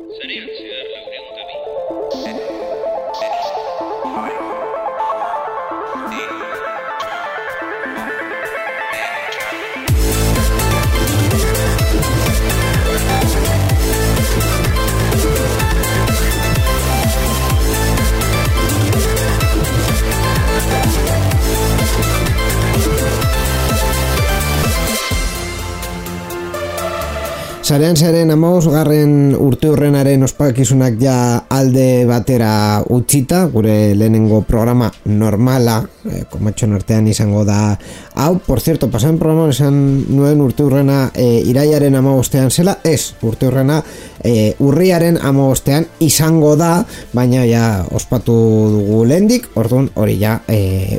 Sarean zehar 402. Sarean 15. urteurrenaren ospakizunak ja alde batera utzita, gure lehenengo programa normala, komatxon artean izango da hau. Por cierto, pasan programan esan nuen urteurrena iraiaren 15 zela, ez, urteurrena urriaren 15 izango da, baina ja ospatu dugu lehendik, orduan hori ja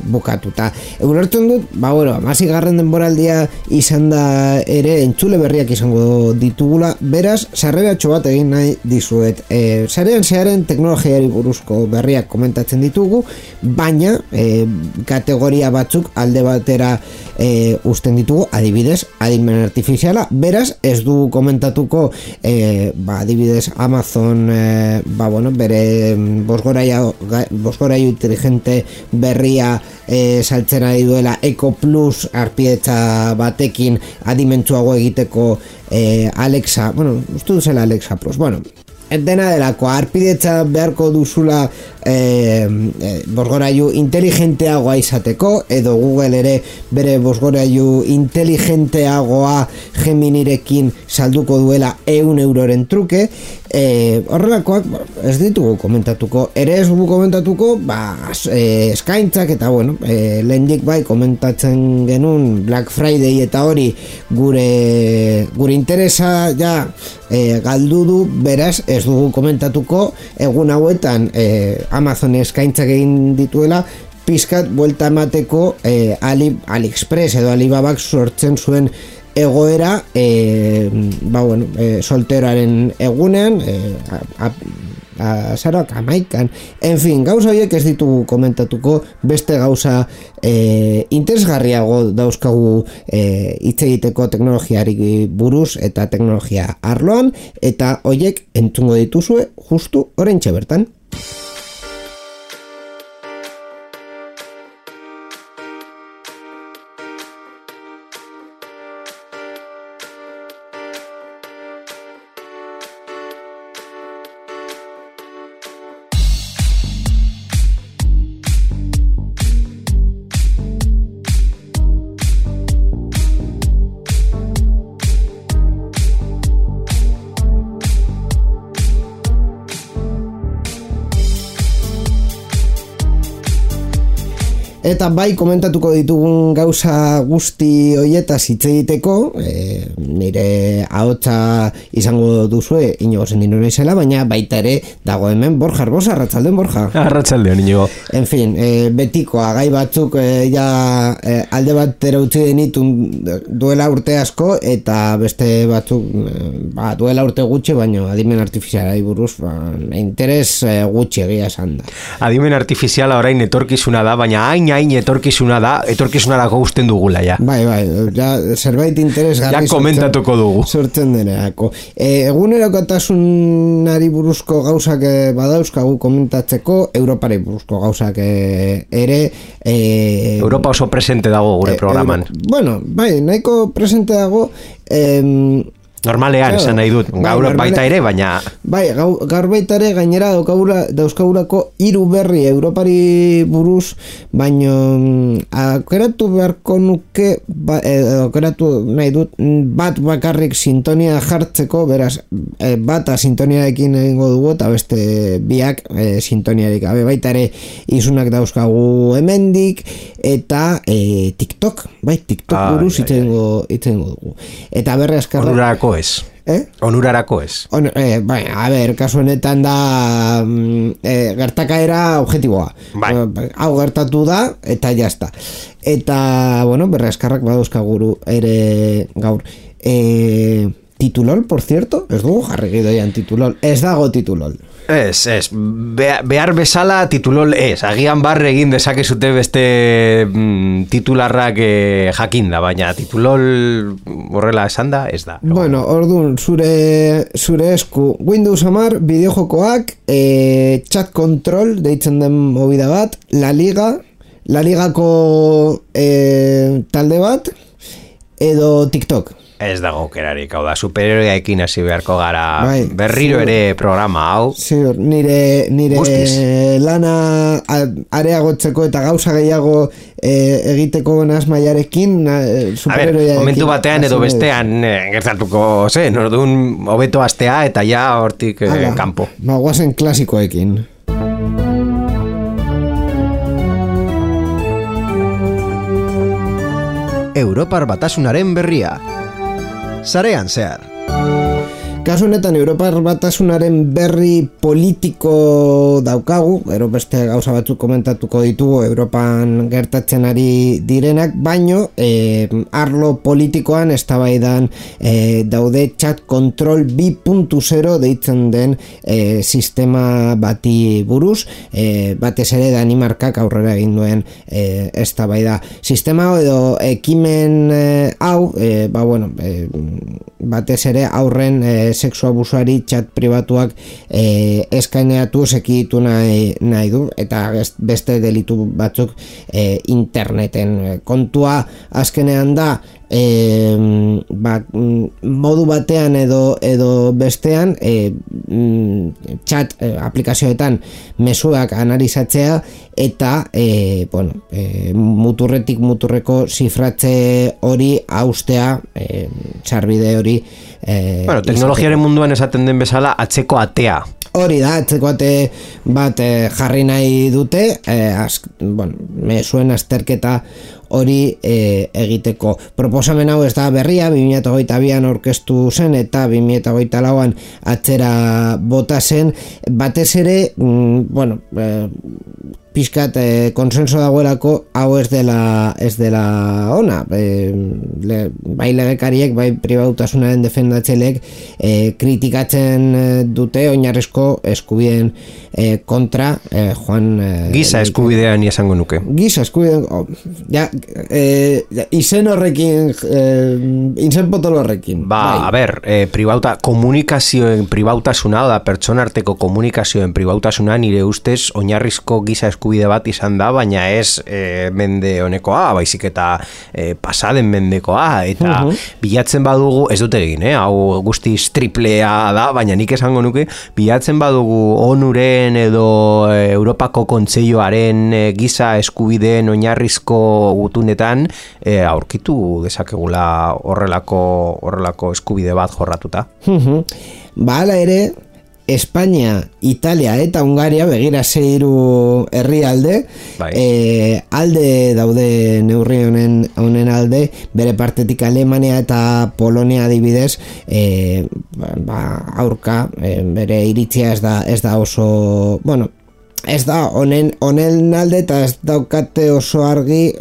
bukatuta. Ulertzen dut, bueno, 16. denboraldia izan da ere entzule berriak izango ditugula, beraz, sarreratxo bat egin nahi dizuet. Sarean zearen teknologiari buruzko berriak komentatzen ditugu, baina kategoria batzuk alde batera uzten ditugu, adibidez, adimen artifiziala, beraz, ez du komentatuko adibidez Amazon bere bosgorailu inteligente berria saltzen ari duela Echo Plus arpietza batekin adimentsuago egiteko Alexa, uste duzela Alexa Plus, dena delako, arpidetza beharko duzula bosgorailu inteligenteagoa izateko, edo Google ere bere bosgorailu inteligenteagoa Geminirekin salduko duela 100 euroren truke. Horrelakoak ez ditugu komentatuko, ere ez dugu komentatuko eskaintzak eta lehendik bai komentatzen genuen Black Friday eta hori gure interesa ja galdu du, beraz ez dugu komentatuko egun hauetan Amazon eskaintzak egin dituela pizkat buelta emateko AliExpress edo Alibabak sortzen zuen egoera solteroaren egunean azaroak 11. En fin, gauza horiek ez ditugu komentatuko, beste gauza interesgarriago dauzkagu hitz egiteko teknologiari buruz eta teknologia arloan, eta horiek entzungo dituzue justu oraintxe bertan. Eta bai komentatuko ditugun gauza guzti hoietaz hitz egiteko, nire ahotsa izango duzue Inigo Sendino naizela, baina baita ere dago hemen Borja Arbosa. Arratsaldeon, Borja. Arratsaldeon, Inigo. En fin, betikoa gai batzuk alde batera utzi denitun duela urte asko, eta beste batzuk duela urte gutxi, baina adimen artifizialari buruz interes gutxi egia esan da. Adimen artifiziala orain etorkizuna da, baina hain etorkizunarako usten dugula ja. Bai, ja zerbait interesgarri ja komentatuko dugu. Sortzen denerako. Egunerokotasunari buruzko gauzak badauzkagu komentatzeko, Europari buruzko gauzak ere. Europa oso presente dago gure programan. Bai, nahiko presente dago. Normalean, esan nahi dut, gaur baita ere, baina... Bai, gaur baita ere, gainera dauzkagurako 3 berri Europari buruz, baina aukeratu beharko nuke, aukeratu nahi dut, bat bakarrik sintonia jartzeko, beraz, bata sintoniarekin egingo dugu, eta beste biak sintoniarik. Baita ere, izunak dauzkagu hemendik, eta TikTok buruz itzengo dugu. Eta berre askarra... ez. Onurarako ez. Kasu honetan da gertakaera objektiboa. Hau gertatu da, eta jazta. Eta, berre askarrak badauzkaguru ere gaur. Titulol, por cierto, ez dugu jarri gidoian titulol, ez dago titulol. Ez, behar bezala titulol ez, agian barre egin dezakezute beste titularrak jakinda, baina titulol horrela esan da, ez da. Bueno, orduan, zure esku Windows 10 bideojokoak, chat control deitzen den movida bat, La Ligako talde bat, edo TikTok. Ez dago aukerarik, hau da, superheroeekin hasi beharko gara berriro ere programa hau. Ziur, nire lana areagotzeko eta gauza gehiago egiteko asmaiarekin superheroeekin. Momentu batean edo bestean gertatuko, orduan hobeto astea eta ja hortik kanpo. Guazen klasikoekin. Europar Batasunaren berria. Sarean zehar. Kasu honetan Europar Batasunaren berri politiko daukagu, beste gauza batzuk komentatuko ditugu Europan gertatzen ari direnak, baino arlo politikoan eztabaidan daude chat control 2.0 deitzen den sistema bati buruz, batez ere Danimarkak aurrera egin duen eztabaida. Sistema edo ekimen hau, batez ere aurren sexu abusuari chat pribatuak eskaineatu sekitu nahi du, eta beste delitu batzuk interneten. Kontua azkenean da modu batean edo bestean chat aplikazioetan mezuak analizatzea eta muturretik muturreko zifratze hori haustea, sarbide hori teknologiaren munduan esaten den bezala atzeko atea. Hori da, atzeko ate bat jarri nahi dute, mezuen azterketa hori egiteko. Proposamen hau ez da berria, 2022an aurkeztu zen eta 2024an atzera bota zen, batez ere, pixkat konsenso dagoelako hau ez dela ona, bai legekariek, bai pribautasunaren defendatzeleek kritikatzen dute oinarrizko eskubideen kontra joan giza eskubidean esango nuke. Giza eskubidean izen horrekin izen potolo horrekin. A ber, komunikazioen pribautasuna, da pertsona arteko komunikazioen pribautasuna nire ustez oinarrizko giza eskubide bat izan da, baina ez mende honekoa, baizik eta pasaden mendekoa, eta bilatzen badugu, ez dut egin, hau guztiz triplea da, baina nik esango nuke, bilatzen badugu ONUren edo Europako Kontseiluaren giza eskubideen oinarrizko gutunetan aurkitu dezakegula horrelako eskubide bat jorratuta. Hala ere, Espainia, Italia eta Hungaria, begira 6 herrialde, alde daude neurri honen alde, bere partetik Alemania eta Polonia adibidez, aurka, bere iritzia ez da oso, ez da honen alde eta ez daukate oso argi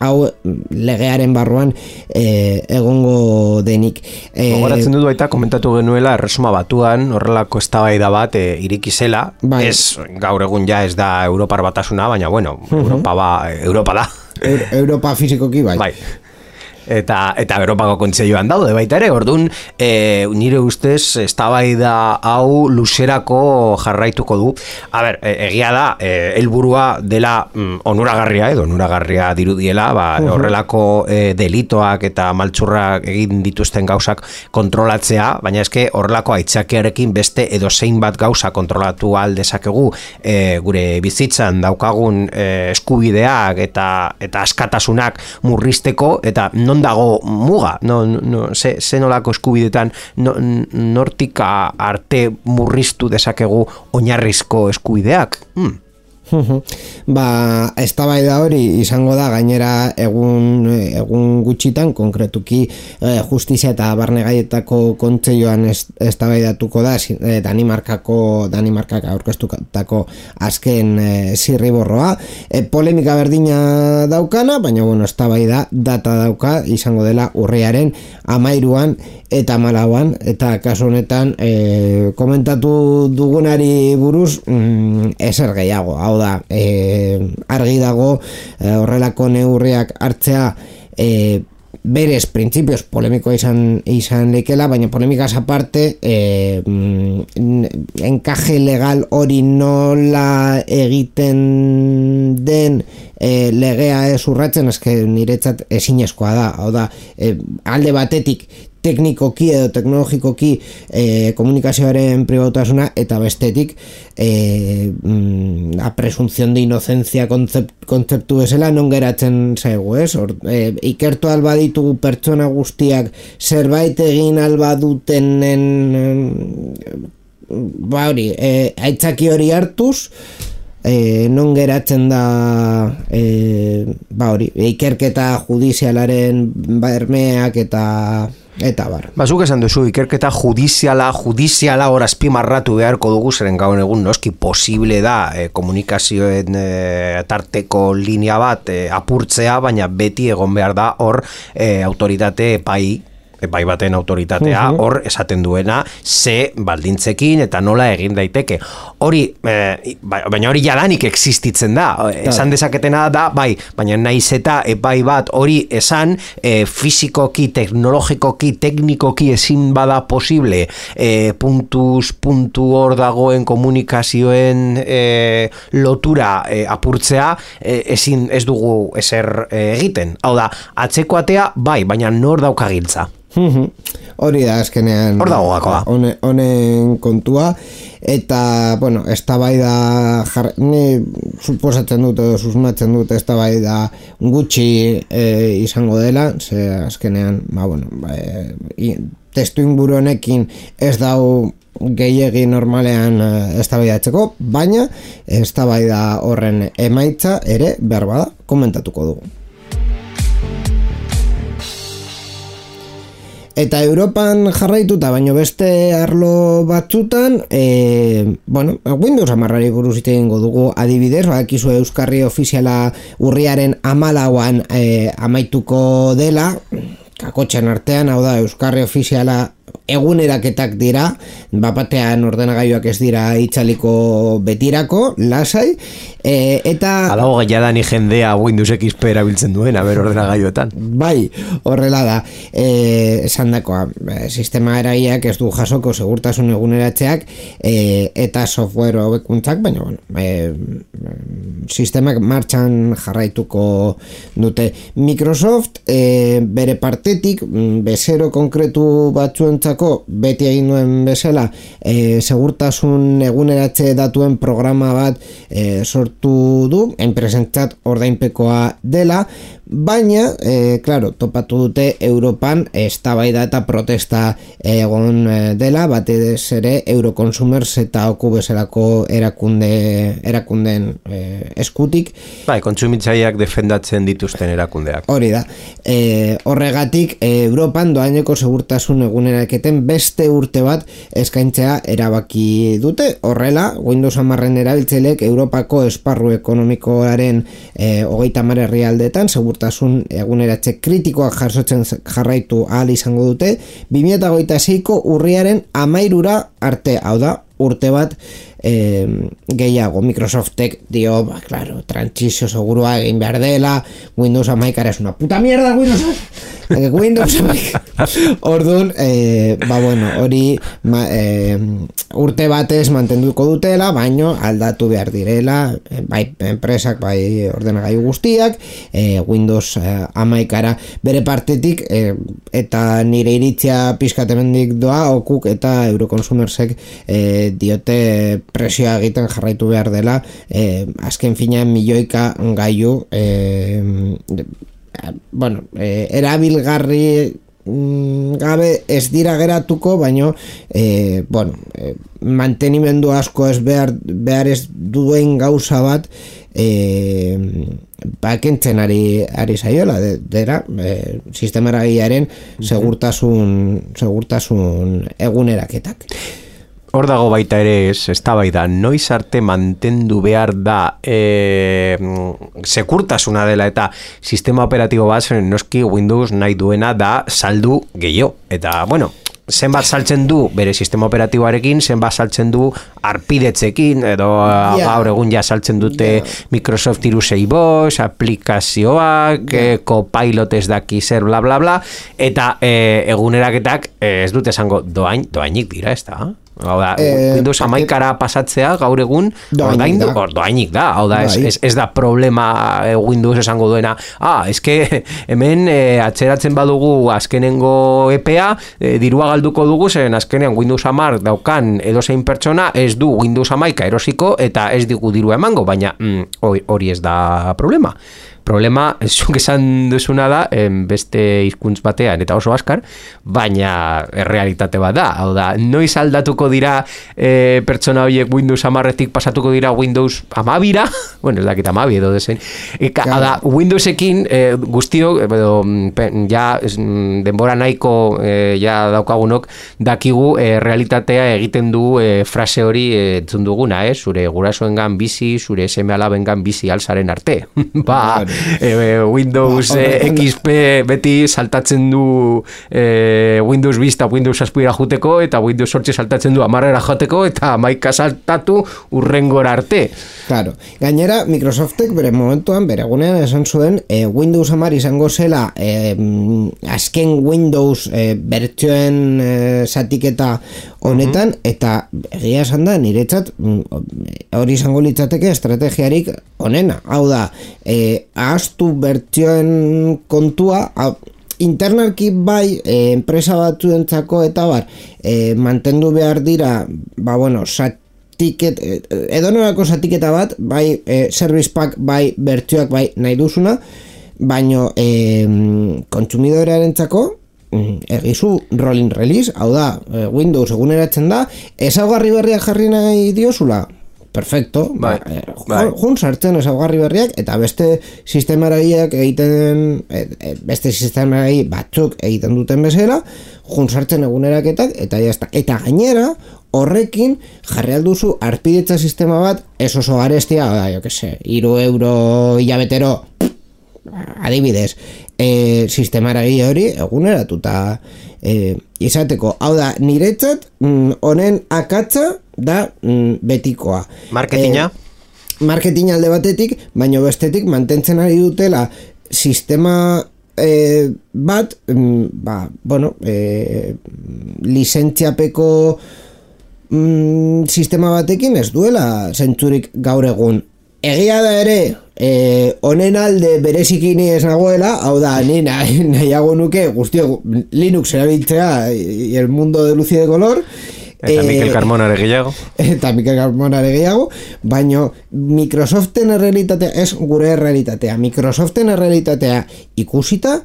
hau legearen barruan egongo denik. Gogoratzen dut baita komentatu genuela Erresuma Batuan horrelako eztabaida bat iriki zela, ez gaur egun ja ez da Europar Batasuna, baina Europa da. Europa fizikoki bai. Eta Europako Kontseiluan daude baita ere, orduan nire ustez eztabaida hau luzerako jarraituko du. Egia da, helburua dela onuragarria dirudiela, horrelako delitoak eta maltzurrak egin dituzten gauzak kontrolatzea, baina eske horrelako aitzakiarekin beste edo zein bat gauza kontrolatu ahal dezakegu gure bizitzan daukagun eskubideak eta askatasunak murrizteko, eta non dago muga, ze nolako eskubidetan nortik arte murriztu dezakegu oinarrizko eskubideak? Eztabaida hori izango da gainera egun gutxitan, konkretuki justizia eta barne gaietako kontseilloan eztabaidatuko da Danimarkak aurkeztutako azken zirriborroa, polemika berdina daukana, baina eztabaida data dauka, izango dela urriaren 13 eta 14, eta kasu honetan komentatu dugunari buruz ezer gehiago, hau da, argi dago horrelako neurriak hartzea berez printzipioz polemikoa izan lekela, baina polemikaz aparte enkaje legal hori nola egiten den legea ez urratzen, eske niretzat ezinezkoa da, hau da, alde batetik teknikoki edo teknologikoki komunikazioaren pribatasuna, eta bestetik la presunción de inocencia kontzeptu bezala non geratzen zaigu, ez? Ikertu alba ditugu pertsona guztiak zerbait egin alba dutenen aitzaki hori hartuz, non geratzen da ikerketa judizialaren bermeak eta bar. Zuk esan duzu, ikerketa judiziala hor azpimarratu beharko dugu, zeren gaur egun noski posible da komunikazioen tarteko linea bat apurtzea, baina beti egon behar da hor autoritate epai baten autoritatea hor esaten duena ze baldintzekin eta nola egin daiteke. Hori, baina hori jadanik existitzen da. Esan dezaketena da, baina naiz eta epai bat hori esan fizikoki, teknologikoki, teknikoki ezin bada posible puntu hor dagoen komunikazioen lotura apurtzea, ez dugu ezer egiten. Hau da, atzeko atea, baina nor dauka giltza. Hori da azkenean hor dago gakoa honen kontua, eta eztabaida ni suposatzen dut edo susmatzen dut eztabaida gutxi izango dela, ze azkenean testu inguru honekin ez dau gehiegi normalean eztabaidatzeko, baina eztabaida horren emaitza ere behar bada komentatuko dugu. Eta Europan jarraituta, baino beste arlo batzutan, Windows 10 buruz hitz egingo dugu, adibidez, badakizu euskarri ofiziala urriaren 14an amaituko dela, kakotxan artean, hau da, euskarri ofiziala eguneraketak dira, bapatean ordenagailuak ez dira itzaliko betirako, lasai, eta... Adago gaiadani jendea Windows XP erabiltzen duen, ordenagailuetan. Bai, horrela da, esan dakoa, sistema eraiak ez du jasoko segurtasun eguneratzeak eta software hobekuntzak, baina, sistemak martxan jarraituko dute. Microsoft, bere partetik, bezero konkretu batzuentzako beti egin duen bezala segurtasun eguneratze datuen programa bat sortu du, enpresentzat ordainpekoa dela, baina, topatu dute Europan eztabaida eta protesta egon dela, batez ere Euroconsumers eta oku bezalako erakundeen eskutik. Kontsumitzaileak defendatzen dituzten erakundeak. Hori da. Horregatik, Europan doaineko segurtasun eguneraketen beste urte bat eskaintzea erabaki dute. Horrela, Windows 10 erabiltzaileek Europako esparru ekonomikoaren 30 herrialdeetan segurtasun eguneratze kritikoak jasotzen jarraitu ahal izango dute 2026ko urriaren 13 arte, hau da, urte bat gehiago. Microsoftek dio, trantsizio segurua egin behar dela, Windows 10 es una puta mierda, Windows 10. Orduan, hori urte batez mantenduko dutela, baino aldatu behar direla, bai enpresak, bai ordenagailu guztiak, Windows 10 bere partetik, eta nire iritzia pizkatemendik doa, okuk eta Euroconsumersek diote presioa egiten jarraitu behar dela, azken finean milioika gailu erabilgarri gabe ez dira geratuko, baino mantenimendu asko ez behar ez duen gauza bat kentzen ari zaiola dera sistemaragiaren segurtasun eguneraketak. Hor dago baita ere eztabaida, noiz arte mantendu behar da sekurtasuna dela eta sistema operatibo bat noski Windows nahi duena da saldu gehiago. Eta, bueno, zenbat saltzen du bere sistema operatiboarekin, zenbat saltzen du arpidetzekin, edo gaur egun ja saltzen dute Microsoft 365, aplikazioak, Copilot ez daki zer, bla, bla, bla, eta eguneraketak ez dute esango doainik dira, ez da? Hau da, Windows 11 pasatzea gaur egun doainik da, hau da, ez da problema Windows esango duena, eske hemen atzeratzen badugu azkenengo EPA, dirua galduko dugu, zen azkenean Windows 10 daukan edozein pertsona ez du Windows 11 erosiko eta ez digu dirua emango, baina hori ez da problema. Problema, zuk esan duzuna da, beste hizkuntz batean eta oso askar, baina errealitate bat da. Hau da, noiz aldatuko dira pertsona horiek Windows 10-etik pasatuko dira Windows 12-ra, bueno, ez dakit 12 edo dezen. Hau da, Windowsekin guztiok, ja denbora nahiko ja daukagunok, dakigu realitatea egiten du frase hori entzun duguna, zure gurasoengan bizi, zure seme-alabengan bizi alzaren arte. Ba, Windows XP beti saltatzen du Windows Vista Windows 7 joteko eta Windows 8 saltatzen du 10 joteko eta 11 saltatu urrengora arte. Claro. Gainera Microsoftek bere momentuan bere egunean esan zuen Windows 10 izango zela azken Windows bertsioen zatiketa honetan eta egia esan da niretzat hori izango litzateke estrategiarik onena. Hau da, ahaztu bertsioen kontua internalki bai enpresa batzuentzako eta mantendu behar dira edonolako zatiketa bat bai service pack bai bertsioak bai nahi duzuna, baino kontsumidorearentzako egizu rolling release, hau da Windows eguneratzen da, ezaugarri berriak jarri nahi diozula, perfecto, jun sartzen ezaugarri berriak eta beste sistemaragiak beste sistemaragi batzuk egiten duten bezala, jun sartzen eguneraketak eta jazta. Eta gainera horrekin jarri alduzu arpidetza sistema bat ez oso garestia, jo que se, €3 hilabetero adibidez, sistemaragi hori eguneratuta izateko. Hau da, niretzat honen akatza da betikoa. Marketinga? Marketinga alde batetik, baina bestetik mantentzen ari dutela sistema bat, lizentziapeko sistema batekin ez duela zentzurik gaur egun. Egia da ere, honen alde berezikini ez nagoela, hau da, ni nahiago nuke guztio Linux erabiltzea el mundo de luz y de color, eta Mikel Carmonare gehiago, baina Microsoften errealitatea ez gure errealitatea. Microsoften errealitatea ikusita,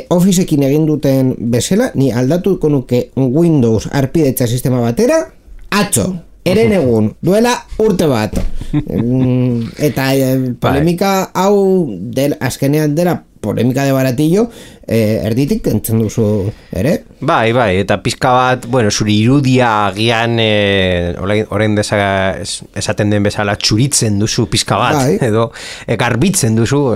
Officeekin egin duten bezala, ni aldatuko nuke Windows arpidetza sistema batera, atzo, eren egun, duela urte bat. Eta polemika hau azkenean dela polemika de baratillo, erditik kentzen duzu ere? Bai, eta pizka bat, zure irudia agian orain esaten den bezala txuritzen duzu pizka bat, edo garbitzen duzu,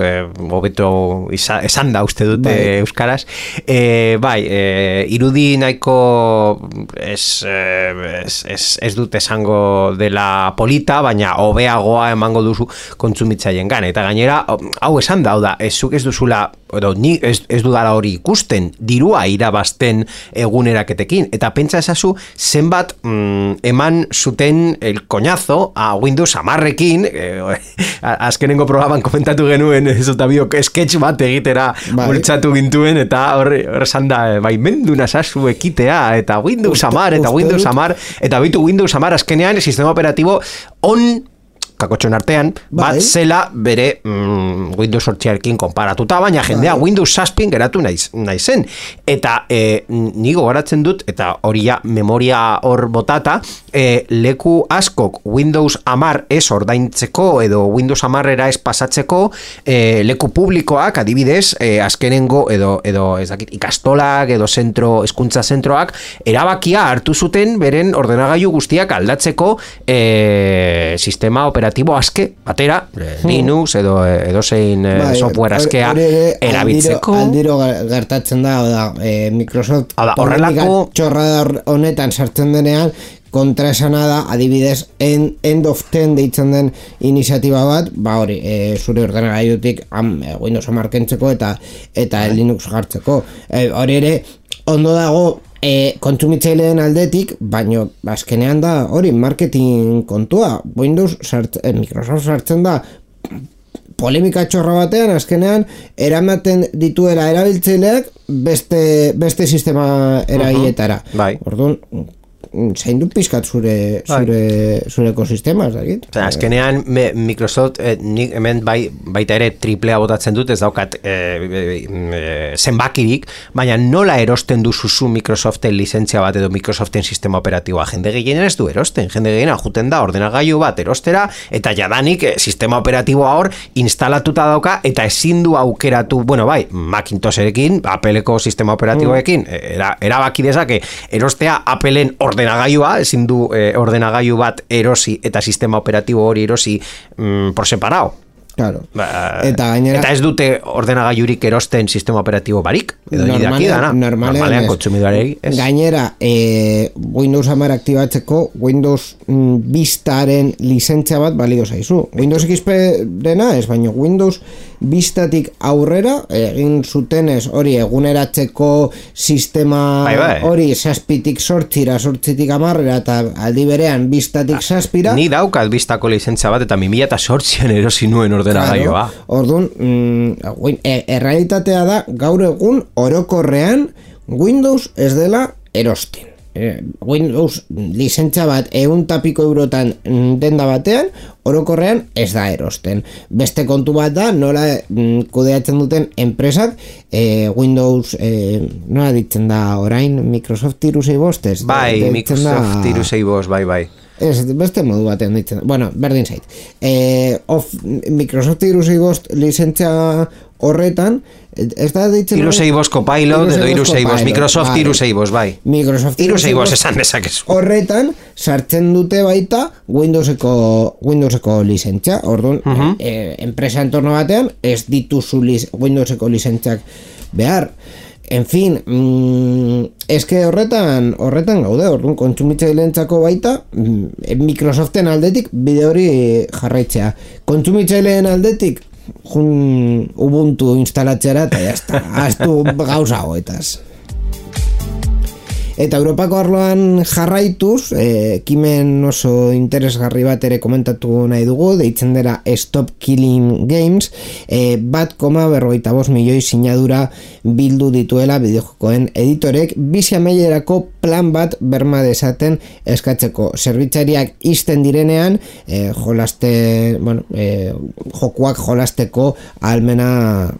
hobeto esan da uste dute euskaraz. Irudi nahiko ez dut esango dela polita, baina hobeagoa emango duzu kontsumitzaileen gan. Eta gainera, hau esan da, zuk ez duzula, ni ez dudala hori ikusten, dirua irabazten eguneraketekin, eta pentsa ezazu zenbat eman zuten el coñazo a Windows 10-ekin, azkenengo programan komentatu genuen Zotabiok sketch bat egitera bultzatu gintuen, eta hor esan da, mendu nazazu ekitea, eta Windows 10, eta Windows 10, eta bitu Windows 10 azkenean sistema operatibo kakotxon artean, bat zela bere Windows 8arekin konparatuta, baina jendea Windows 7 geratu naizen. Eta ni gogoratzen dut, eta hori ja memoria hor botata, leku askok Windows 10 ez ordaintzeko edo Windows 10era ez pasatzeko leku publikoak, adibidez, azkenengo edo ez dakit, ikastolak edo hezkuntza zentroak erabakia hartu zuten beren ordenagailu guztiak aldatzeko sistema operatibo aske batera, Linux edo zein software askea erabiltzeko. Aldiro gertatzen da, Microsoft horrelako txorra honetan sartzen denean, kontra esana da, adibidez, End of 10 deitzen den iniziatiba bat, hori, zure ordenagailutik Windows 10 kentzeko eta Linux jartzeko. Hori ere, ondo dago kontsumitzaileen aldetik, baino azkenean da hori marketing kontua. Microsoft sartzen da polemika txorra batean, azkenean eramaten dituela erabiltzaileak beste sistema eragilletara. Orduan, zein du pizkat zure ekosistema, ez dakit? Azkenean Microsoft nik hemen baita ere triplea botatzen dut, ez daukat zenbakirik, baina nola erosten duzuzu Microsoften lizentzia bat edo Microsoften sistema operatiboa? Jende gehien ez du erosten, jende gehien juten da ordenagailu bat erostera, eta jadanik sistema operatiboa hor instalatuta dauka, eta ezin du aukeratu, Macintosherekin, Appleko sistema operatiboekin, erabaki dezake erostea Appleen ordenagailua, ezin du ordenagailu bat erosi eta sistema operatibo hori erosi por separado. Claro. Eta ez dute ordenagailurik erosten sistema operatibo barik, edo idaki dana. Normalean kontsumidoarei. Gainera, Windows 10 aktibatzeko Windows Vistaren lizentzia bat balio zaizu. Windows XP dena ez, baina Windows Vistatik aurrera egin zutenez hori eguneratzeko sistema hori 7tik 8, 8tik 10 eta aldi berean Vistatik 7. Ni daukat Vistako lizentzia bat eta 2008an erosi nuen ordenagailua. Orduan, errealitatea da gaur egun orokorrean Windows ez dela erosten. Windows lizentzia bat 100 denda batean orokorrean ez da erosten. Beste kontu bat da nola kudeatzen duten enpresak Windows nola ditzen da orain Microsoft 365 bai, Microsoft 365 bai. Ez, beste modu batean ditzen. Bueno, berdin zait. Microsoft 365 lizentzia horretan, ez da ditzen... 365 Copilot edo 365, Microsoft 365, bai. Microsoft 365 esan dezakezu. Horretan, sartzen dute baita Windowseko lizentzia. Orduan, enpresa entorno batean, ez dituzu Windowseko lizentziak behar. En fin, eske horretan gaude, orduan kontsumitzaileentzako baita Microsoften aldetik bide hori jarraitzea. Kontsumitzaileen aldetik Ubuntu instalatzeara eta jazta, haztu gauza hoetaz. Eta Europako arloan jarraituz, ekimen oso interesgarri bat ere komentatu nahi dugu, deitzen dela Stop Killing Games, 1,45 milioi sinadura bildu dituela bideojokoen editorek, bizi amaierako plan bat berma dezaten eskatzeko. Zerbitzariak ixten direnean, jokuak jolasteko ahalmena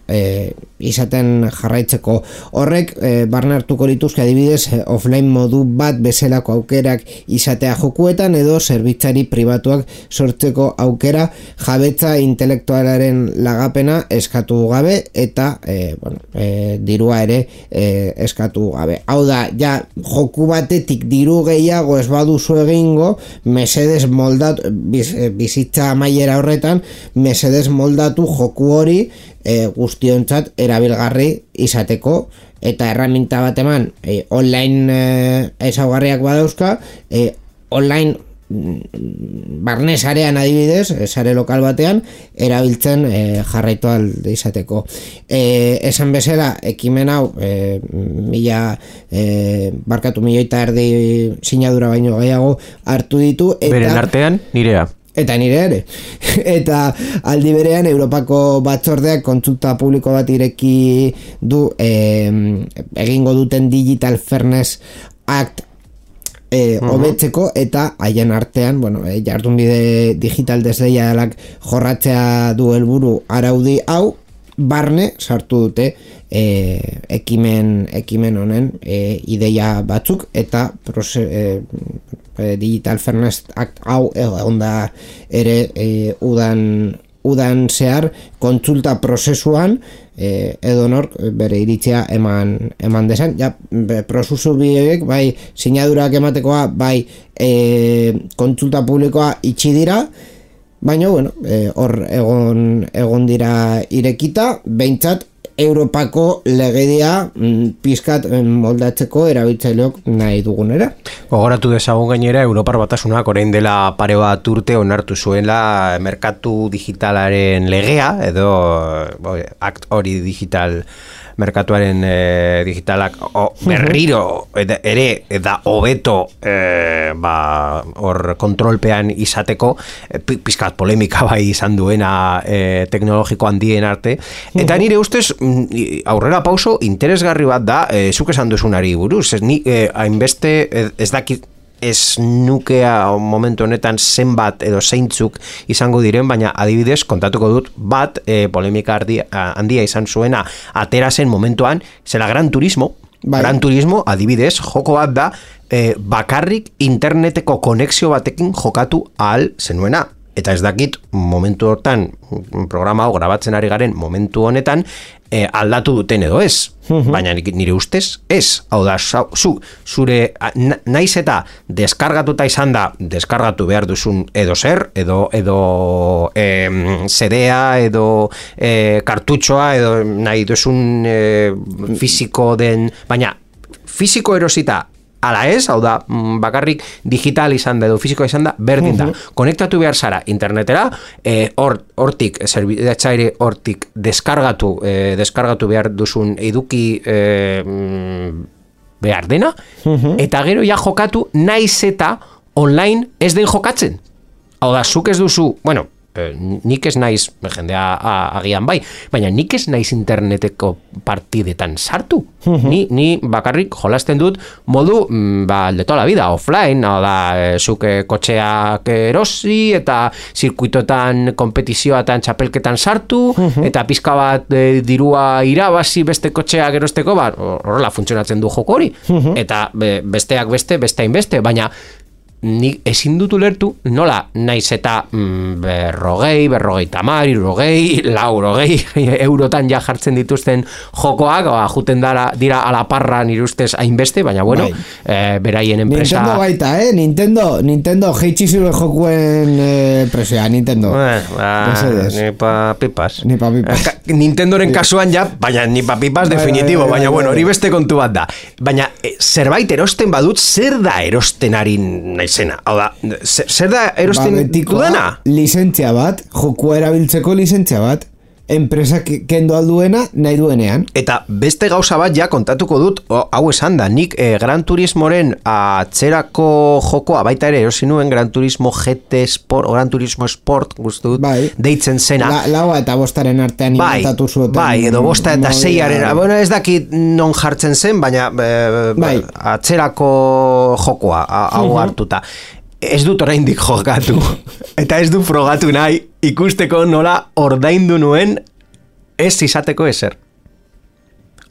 izaten jarraitzeko. Horrek, barne hartuko lituzke adibidez, offline modu bat bezalako aukerak izatea jokuetan edo zerbitzari pribatuak sortzeko aukera jabetza intelektualaren lagapena eskatu gabe eta dirua ere eskatu gabe. Hau da, ja joku batetik diru gehiago ez baduzu egingo, mesedes moldatu bizitza amaiera horretan, mesedes moldatu joku hori guztiontzat erabilgarri izateko eta erraminta bat eman online ezaugarriak badauzka, online barne sarean adibidez, sare lokal batean erabiltzen jarraitu alde izateko. Esan bezala, ekimen hau 1,5 sinadura baino gehiago hartu ditu eta beren artean nirea. Eta nire ere. Eta aldi berean Europako batzordeak kontsulta publiko bat ireki du egingo duten Digital Fairness Act hobetzeko eta haien artean, bueno, jardunbide digital desleialak jorratzea du helburu araudi hau, barne sartu dute ekimen honen ideia batzuk eta Digital Fairness Act hau onda ere udan zehar kontsulta prozesuan edonork bere iritzia eman desan. Ja, prozesu biek, bai sinadurak ematekoa, bai kontsulta publikoa itxi dira, baina, bueno, hor egon dira irekita, behintzat Europako legedia pizkat moldatzeko erabiltzaileok nahi dugunera. Gogoratu dezagun gainera, Europar Batasunak orain dela pare bat urte onartu zuela merkatu digitalaren legea, edo akt hori digital merkatuaren digitalak berriro ere da hobeto hor kontrolpean izateko pizkat polemika bai izan duena teknologiko handien arte eta nire ustez aurrera pauso interesgarri bat da zuk esan duzunari buruz hainbeste ez dakit ez nukea momentu honetan zenbat edo zeintzuk izango diren, baina adibidez kontatuko dut bat polemika handia izan zuena atera zen momentuan, zela Gran Turismo. Bai. Gran Turismo adibidez joko bat da bakarrik interneteko konexio batekin jokatu ahal zenuena. Eta ez dakit momentu hortan programa hau grabatzen ari garen momentu honetan aldatu duten edo ez. Baina nire ustez ez. Hau da, zure naiz eta deskargatuta izan da deskargatu behar duzun edo zer, edo CD-a, edo kartutxoa, edo nahi duzun fisiko den, baina fisiko erosita ala ez, hau da, bakarrik digital izan da edo fisikoa izan da, berdin da. Konektatu behar zara internetera, hortik, zerbitzaile hortik deskargatu behar duzun eduki behar dena, eta gero ja jokatu naiz eta online ez den jokatzen. Hau da, zuk ez duzu, bueno, nik ez naiz, jendea agian bai, baina nik ez naiz interneteko partidetan sartu. Ni bakarrik jolasten dut modu de toda la vida, offline, hau da, zuk kotxeak erosi eta zirkuitotan, kompetizioatan, txapelketan sartu, eta pizka bat dirua irabazi beste kotxeak erosteko, horrela funtzionatzen du joko hori. Eta besteak beste, baina nik ezin dut ulertu nola naiz eta berrogeita hamar, laurogei eurotan ja jartzen dituzten jokoak, juten dira alaparra nire ustez hainbeste, baina bueno, beraien enpresa... Nintendo baita, Nintendo jeitsi zure jokuen presioa, Nintendo. Ni pa pipas. Nintendoren kasuan ja, baina ni pa pipas definitibo, baina bueno, hori beste kontu bat da. Baina zerbait erosten badut, zer da erosten ari naizena? Hau da, zer da erosten dudana? Lizentzia bat, jokua erabiltzeko lizentzia bat, enpresa kendo alduena nahi duenean. Eta beste gauza bat ja kontatuko dut, hau esan da, nik Gran Turismoren atzerako jokoa baita ere erosi nuen Gran Turismo GT Sport, Gran Turismo Sport, guztu dut, deitzen zena. Laua eta bostaren artean inventatu zuten. Bai, edo bosta eta seiaren, bueno, ez dakit non jartzen zen, baina atzerako jokoa, hau hartuta. Ez dut oraindik jokatu eta ez du frogatu nahi ikusteko nola ordaindu nuen ez izateko ezer.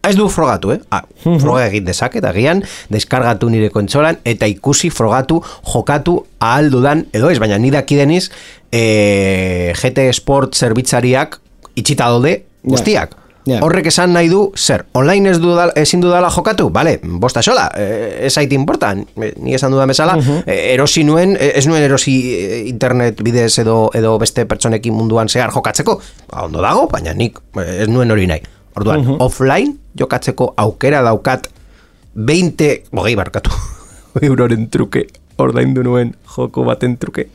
Ez du frogatu, froga egin dezaket, agian deskargatu nire kontsolan eta ikusi frogatu jokatu ahal dudan edo ez, baina ni dakideniz GT Sport zerbitzariak itxita daude guztiak. Horrek esan nahi du, zer, online ezin dudala jokatu? Bale, bosta sola, ez haiti importan, ni esan dudan bezala, erosi nuen, ez nuen erosi internet bidez edo beste pertsonekin munduan zehar jokatzeko, ondo dago, baina nik ez nuen hori nahi. Orduan, offline jokatzeko aukera daukat 20 euroren truke, ordaindu nuen joko baten truke.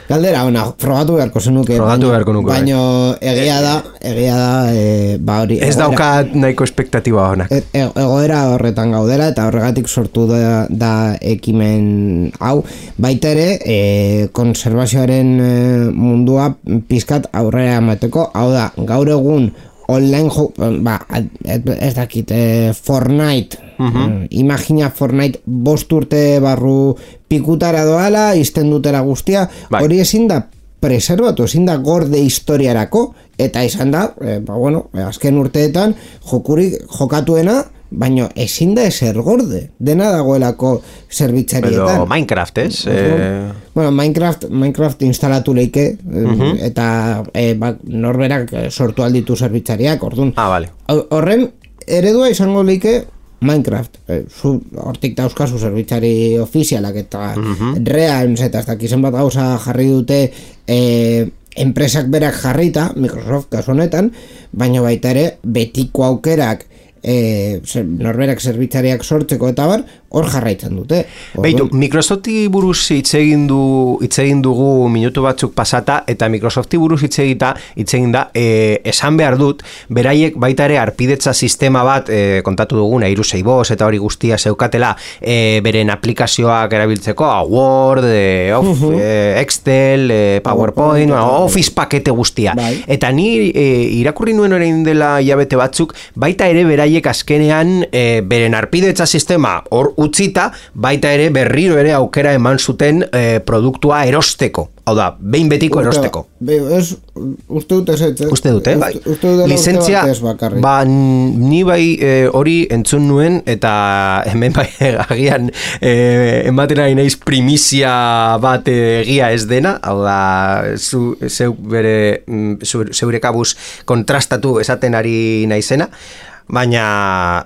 Galdera, frogatu beharko zenuke. Baina egia da hori. Ez daukat nahiko espektatiba honak. Egoera horretan gaudela eta horregatik sortu da ekimen hau. Baita ere, konservazioaren mundua pizkat aurrera emateko. Hau da, gaur egun online ez dakit, Fortnite, imagina Fortnite 5 urte barru pikutara doala, izten dutela guztia, hori ezin da preservatu, ezin da gorde historiarako, eta izan da, azken urteetan jokatuena, baina ezin da ezer gorde, dena dagoelako zerbitzarietan. Edo Minecraft, ez? Bueno, Minecraft instalatu leike, eta norberak sortu alditu zerbitzariak, orduan. Vale. Horren, eredua izango leike Minecraft, hortik dauzkazu zerbitzari ofizialak eta Realms eta ez dakizen bat gauza jarri dute enpresak berak jarrita, Microsoft kasu honetan, baina baita ere betiko aukerak norberak zerbitzariak sortzeko eta bar, hor jarraitzen dute. Beitu, Microsofti buruz hitz egin dugu minutu batzuk pasata, eta Microsofti buruz hitz egin da, esan behar dut, beraiek baita ere arpidetza sistema bat, kontatu duguna, 365 eta hori guztia zeukatela, beren aplikazioak erabiltzeko, Word, Excel, PowerPoint, Office pakete guztia. Eta ni irakurri nuen orain dela hilabete batzuk, baita ere beraiek azkenean beren arpidetza sistema hor utzita, baita ere berriro ere aukera eman zuten produktua erosteko. Hau da, behin betiko erosteko. Uste dut ez. Uste dut, bai. Lizentzia, ni bai hori entzun nuen, eta hemen bai agian ematen ari naiz primizia bat egia ez dena, hau da, zeure kabuz kontrastatu esaten ari naizena, baina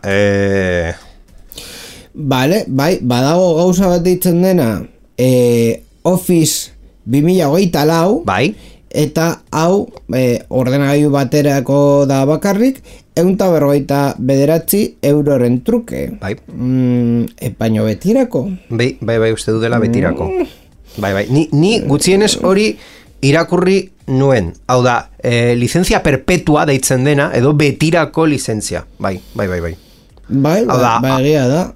Vale, bai, badago gauza bat ditzen dena Office 2024 bai. Eta hau ordenagailu baterako da bakarrik 149 euroren truke. Bai. Baino betirako. Bai, uste du dela betirako. Bai. Ni gutxienez hori irakurri nuen. Hau da, lizentzia perpetua deitzen dena, edo betirako lizentzia. Bai. Bai, egia da.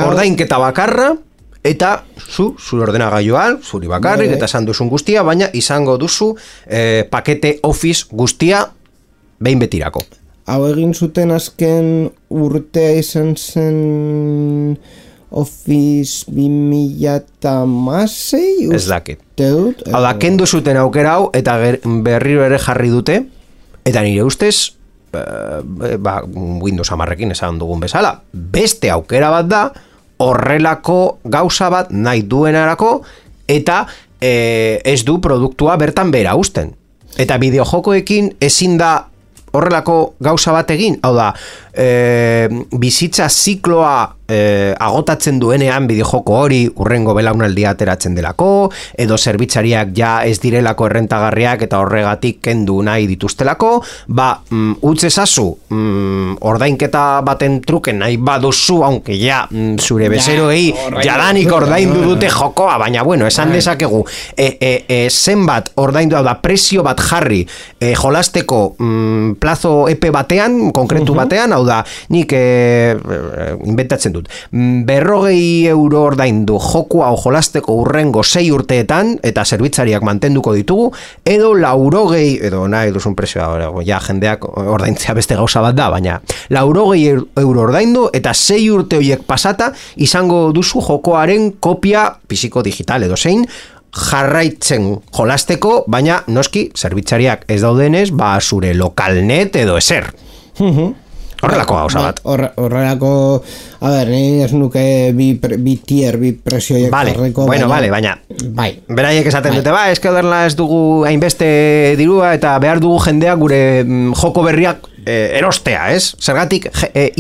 Ordainketa bakarra, eta zure ordenagailuan, zuri bakarrik, eta esan duzun guztia, baina izango duzu pakete Office guztia behin betirako. Hau egin zuten azken urtea izan zen Office 2016? Ez dakit. Hau da, kendu zuten aukera hau, eta berriro ere jarri dute, eta nire ustez, Windows 10ekin esan dugun bezala, beste aukera bat da, horrelako gauza bat nahi duenarako, eta ez du produktua bertan bera uzten. Eta bideojokoekin ezin da horrelako gauza bat egin, hau da, bizitza zikloa agotatzen duenean bideojoko hori urrengo belaunaldia ateratzen delako, edo zerbitzariak ja ez direlako errentagarriak eta horregatik kendu nahi dituztelako, utz ezazu ordainketa baten truken nahi baduzu, aunque ja zure bezeroei jadanik ordaindu dute jokoa, baina bueno, esan dezakegu zenbat ordaindu da prezio bat jarri jolasteko plazo epe batean, konkretu batean, hau da, nik inventatzen dut. 40 euro ordaindu joku hau jolasteko urrengo 6 urteetan, eta zerbitzariak mantenduko ditugu, edo 80, edo nahi duzun prezioa, ja jendeak ordaintzea beste gauza bat da, baina 80 euro ordaindu, eta 6 urte horiek pasata, izango duzu jokoaren kopia fisiko digital edo zein, jarraitzen jolasteko, baina noski zerbitzariak ez daudenez, zure lokalnet edo ezer. Horrelako gauza bat. Horrelako, a ber, ni ez nuke bi presioiek jarriko. Bueno, baina beraiek esaten dute, eske oderla ez dugu hainbeste dirua eta behar dugu jendeak gure joko berriak erostea, ez? Zergatik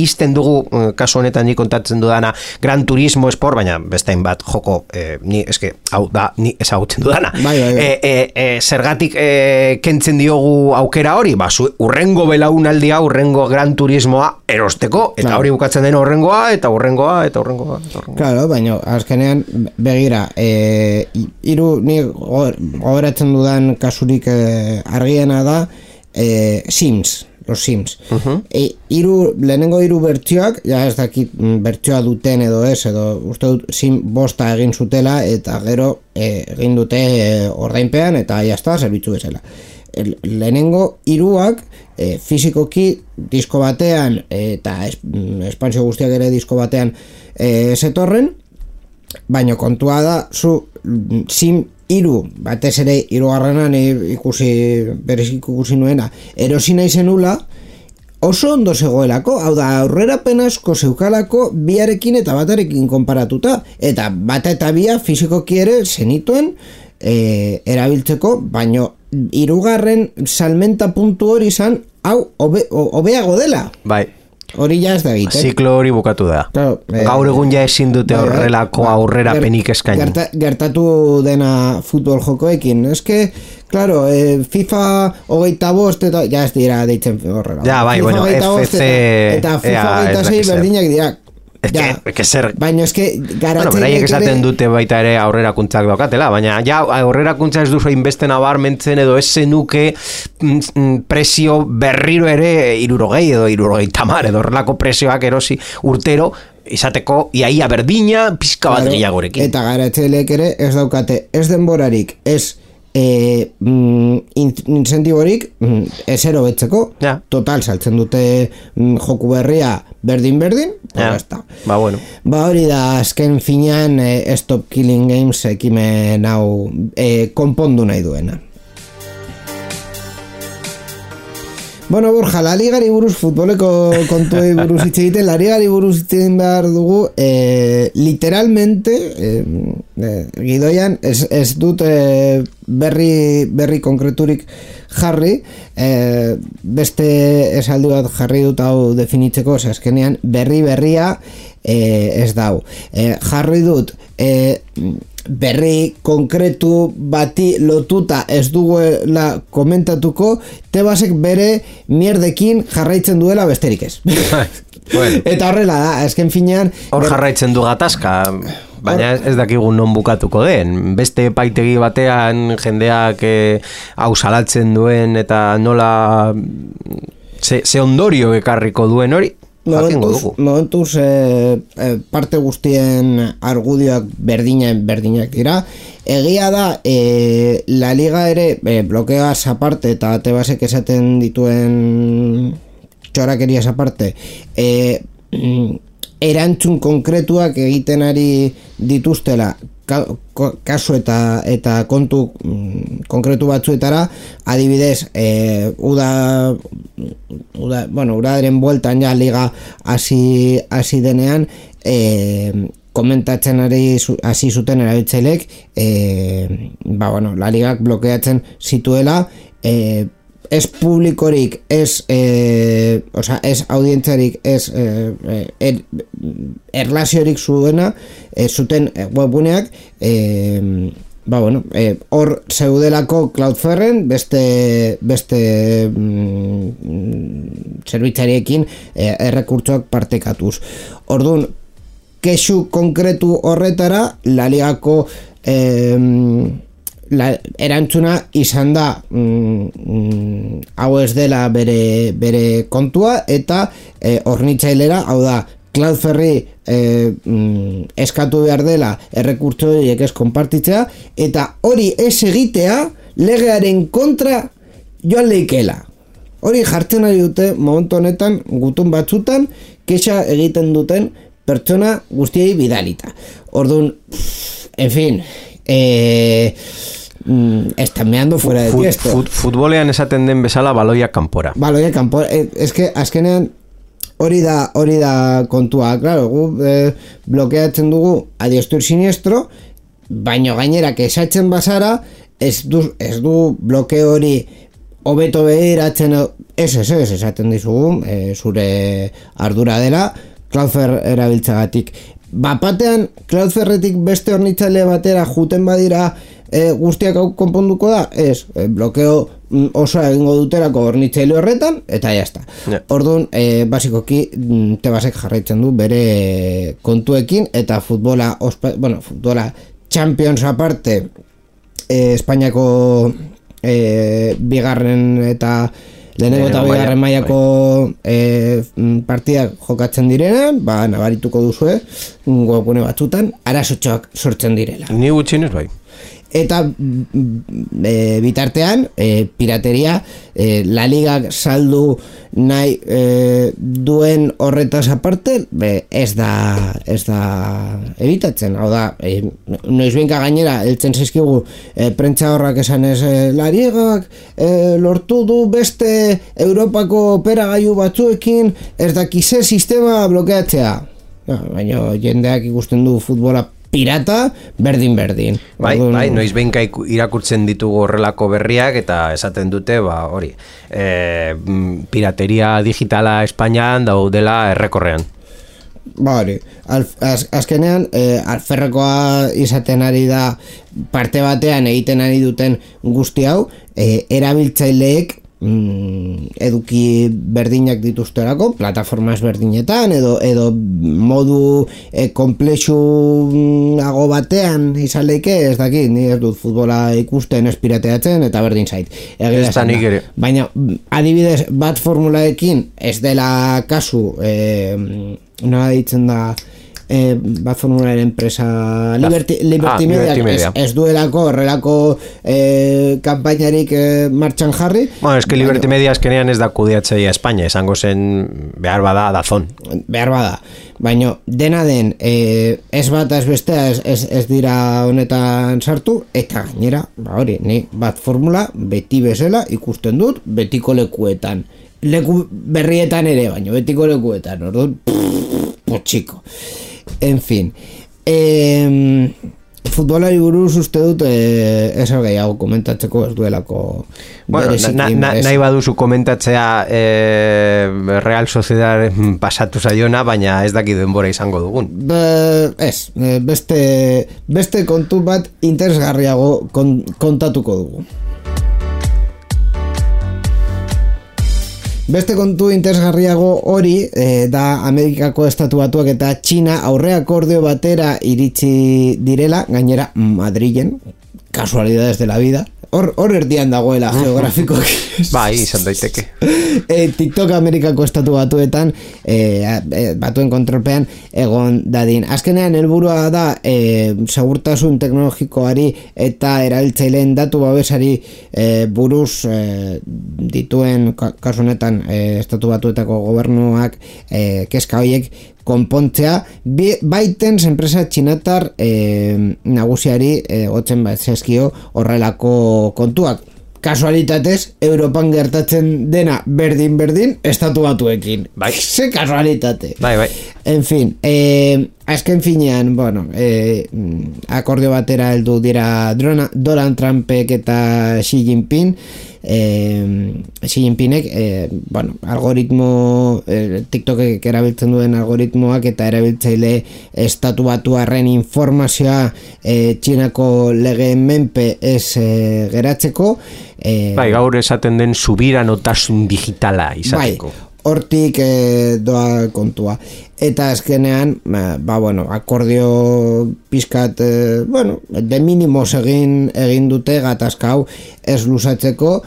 izten dugu, kasu honetan ni kontatzen dudana, Gran Turismo Sport, baina bestein bat joko, ni eske, hau da, ni ezagutzen dudana. Zergatik kentzen diogu aukera hori, urrengo belaunaldia, urrengo Gran Turismoa erosteko, eta hori bukatzen den urrengoa, eta urrengoa. Claro, baina azkenean begira, ni gogoratzen dudan kasurik argiena da Sims. Los Sims. Lehenengo 3 bertsioak, ja ez dakit bertsioa duten edo ez, edo uste dut Sim 5 egin zutela, eta gero egin dute ordainpean, eta jazta, zerbitzu bezala. lehenengo hiruak fisikoki disko batean eta espansio guztiak ere disko batean zetorren, baina kontua da zu Sim 3 batez ere 3. ikusi nuena erosi nahi zenula oso ondo zegoelako, hau da aurrerapen asko zeukalako biarekin eta batarekin konparatuta, eta bata eta bia fisikoki ere zenituen erabiltzeko, baino 3. salmenta puntu hori izan hau hobeago dela. Bai. Hori ja ez da egiten. Ziklo hori bukatu da. Claro, gaur egun ja ezin dute horrelako aurrerapenik eskaini. Gertatu dena futbol jokoekin. Eske, claro, FIFA 25 eta ja ez dira deitzen horrela. Ja, bai, bueno, FC eta FIFA 26 berdinak dira. Baina eske beraiek esaten dute baita ere aurrerakuntzak daukatela, baina ja aurrerakuntza ez duzu hainbeste nabarmentzen edo ez zenuke presio berriro ere 60 edo 70 edo horrelako presioak erosi urtero izateko iaia berdina pizka bat gehiagorekin. Eta garatzaileek ere ez daukate ez denborarik, ez incentiborik ezero betzeko, total saltzen dute joku berria berdin ba bueno, hori da azken finean Stop Killing Games ekimen hau konpondu nahi duena. Bueno, Borja, la ligari buruz, futboleko kontuei buruz hitz egiten, la ligari buruz hitz egin behar dugu, literalmente, gidoian, ez dut berri konkreturik jarri, beste esaldi bat jarri dut hau definitzeko, azkenean berria ez dau. Jarri dut, berri konkretu bati lotuta ez duguela komentatuko, Tebasek bere mierdekin jarraitzen duela besterik ez. Bueno. Eta horrela da, azken finean hor jarraitzen du gatazka, baina ez dakigu non bukatuko den. Beste epaitegi batean jendeak hau salatzen duen eta nola ze ondorio ekarriko duen hori momentuz parte guztien argudioak berdinak dira. Egia da la liga ere blokeoaz aparte eta Tebasek esaten dituen txorakeriaz aparte erantzun konkretuak egiten ari dituztela kasu eta kontu konkretu batzuetara, adibidez udaren bueltan ja liga hasi denean komentatzen hasi zuten erabiltzaileek la ligak blokeatzen zituela ez publikorik, ez audientzarik, ez erlaziorik zuten webuneak hor zeudelako Cloudflaren beste zerbitzariekin errekurtsoak partekatuz. Orduan, kexu konkretu horretara la ligako erantzuna izan da hau ez dela bere kontua eta hornitzailera, hau da Cloudflare eskatu behar dela errekurtso horiek ez konpartitzea eta hori ez egitea legearen kontra joan leikela. Hori jartzen ari dute momentu honetan gutun batzutan kexa egiten duten pertsona guztiei bidalita. Orduan, en fin, están meando fuera de tiesto. Futbolean esaten den bezala baloia kanpora. Baloia kanpora. Eske azkenean hori da kontua. Claro, gu blokeatzen dugu adiestro siniestro, baino gainera esatzen bazara ez du blokeo hori hobeto behiratzen ez esaten dizugu zure ardura dela Cloudflare erabiltzagatik. Bapatean Cloudflaretik beste hornitzaile batera juten badira guztiak hau konponduko da? Ez, blokeo osoa egingo duterako hornitzaile horretan eta jazta. Orduan, basikoki Tebasek jarraitzen du bere kontuekin eta futbola Champions aparte Espainiako bigarren eta lehenengo eta bigarren mailako partidak jokatzen direnean, nabarituko duzue webgune batzutan arazotxoak sortzen direla. Ni gutxienez bai. eta bitartean pirateria La Liga saldu nahi duen horretaz aparte ez da ebitatzen, hau da noizbenka gainera heltzen zaizkigu prentsa horrak esan ez La Ligak lortu du beste Europako operagailu batzuekin ez dakize sistema blokeatzea, baina jendeak ikusten du futbola pirata, berdin. Bai, noiz behinka irakurtzen ditugu horrelako berriak eta esaten dute, hori, pirateria digitala Espainian daudela errekorrean. Hori, azkenean alferrekoa izaten ari da parte batean egiten ari duten guzti hau, erabiltzaileek eduki berdinak dituzterako, plataformas berdinetan edo modu komplexuago batean izan leike, ez dakit, ni ez dut futbola ikusten ez pirateatzen eta berdin zait. Baina adibidez bat formulaekin ez dela kasu, nola ditzen da bat formularen empresa Liberty Media ez duelako horrelako kanpainarik martxan jarri. Bueno, es que Liberty Media eskenean ez da kudeatzaia Espainia, esango zen behar bada Dazón. Behar bada, baina dena den ez bat ez bestea ez dira honetan sartu, eta gainera, hori, ni bat formula beti bezala ikusten dut betiko lekuetan. Leku berrietan ere, baina betiko lekuetan, orduan, potxiko. En fin, futbolari buruz uste dut ezer gehiago komentatzeko ez duelako nahi baduzu komentatzea Real Sociedad pasatu zaiona, baina ez daki denbora izango dugun. Beste kontu bat interesgarriago kontatuko dugu. Beste kontu interesgarriago hori da Amerikako Estatu Batuak eta Txina aurre akordio batera iritsi direla, gainera Madrilen, casualidades de la vida. Hor erdian dagoela geografikoak. Bai, izan daiteke. TikTok Amerikako Estatu Batuetan batuen kontrolpean egon dadin. Azkenean helburua da segurtasun teknologikoari eta erabiltzaileen datu babesari buruz dituen kasu honetan Estatu Batuetako gobernuak kezka horiek konpontzea, baiten enpresa txinatar nagusiari gotzen bat zezkio horrelako kontuak. Kasualitatez, Europan gertatzen dena berdin Estatu Batuekin. Bai. Ze kasualitate. Bai. En fin, azken finean, bueno, akordio batera heldu dira Donald Trumpek eta Xi Jinping. Xi Jinpingek bueno, algoritmo TikTokek erabiltzen duen algoritmoak eta erabiltzaile Estatu Batuarren informazioa Txinako legeen menpe ez geratzeko bai, gaur esaten den subiranotasun digitala izateko. Bai, hortik doa kontua. Eta azkenean, bueno, akordio pizkat, bueno, de minimos egin dute gatazkau ez luzatzeko,